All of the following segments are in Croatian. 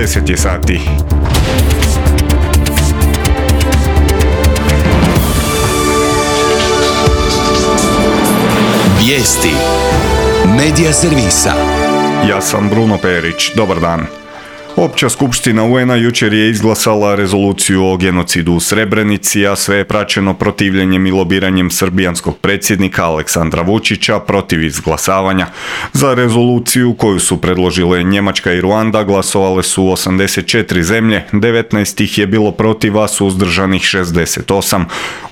10 je sati. Vijesti Medija servisa. Ja sam Bruno Perić, dobar dan. Opća skupština UN-a jučer je izglasala rezoluciju o genocidu u Srebrenici, a sve je praćeno protivljenjem i lobiranjem srbijanskog predsjednika Aleksandra Vučića protiv izglasavanja. Za rezoluciju koju su predložile Njemačka i Ruanda glasovale su 84 zemlje, 19 ih je bilo protiv, a suzdržanih 68.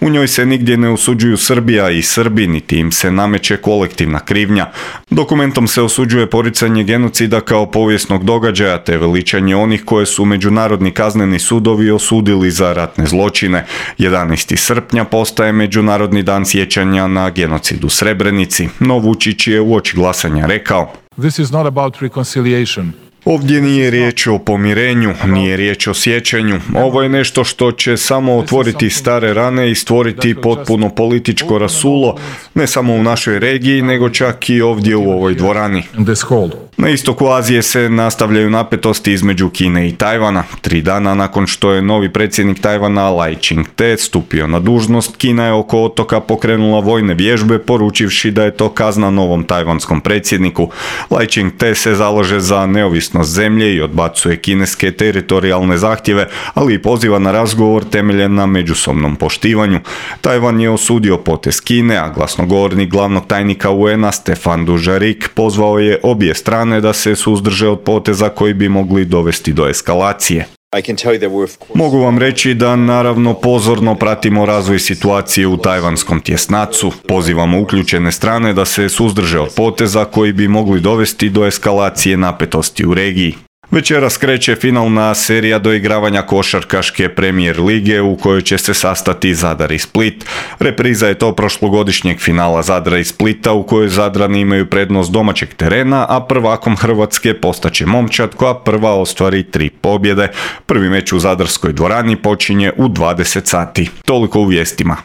U njoj se nigdje ne osuđuju Srbija i Srbi, niti im se nameće kolektivna krivnja. Dokumentom se osuđuje poricanje genocida kao povijesnog događaja te veličanje onih koje su međunarodni kazneni sudovi osudili za ratne zločine. 11. srpnja postaje Međunarodni dan sjećanja na genocid u Srebrenici, no Vučić je uoči glasanja rekao: This is not about reconciliation. Ovdje nije riječ o pomirenju, nije riječ o sjećanju. Ovo je nešto što će samo otvoriti stare rane i stvoriti potpuno političko rasulo, ne samo u našoj regiji, nego čak i ovdje u ovoj dvorani. Na istoku Azije se nastavljaju napetosti između Kine i Tajvana. 3 dana nakon što je novi predsjednik Tajvana Lai Ching-te stupio na dužnost, Kina je oko otoka pokrenula vojne vježbe, poručivši da je to kazna novom tajvanskom predsjedniku. Lai Ching-te se zalaže za neovisnost zemlje i odbacuje kineske teritorijalne zahtjeve, ali i poziva na razgovor temeljen na međusobnom poštivanju. Tajvan je osudio potez Kine, a glasnogovornik glavnog tajnika UN-a Stefan Dujarric pozvao je obje strane da se suzdrže od poteza koji bi mogli dovesti do eskalacije. Mogu vam reći da naravno pozorno pratimo razvoj situacije u tajvanskom tjesnacu. Pozivamo uključene strane da se suzdrže od poteza koji bi mogli dovesti do eskalacije napetosti u regiji. Večeras kreće finalna serija doigravanja košarkaške Premier lige u kojoj će se sastati Zadar i Split. Repriza je to prošlogodišnjeg finala Zadra i Splita u kojoj Zadrani imaju prednost domaćeg terena, a prvakom Hrvatske postaće Momčad koja prva ostvari 3 pobjede. Prvi meč u zadarskoj dvorani počinje u 20 sati. Toliko u vijestima.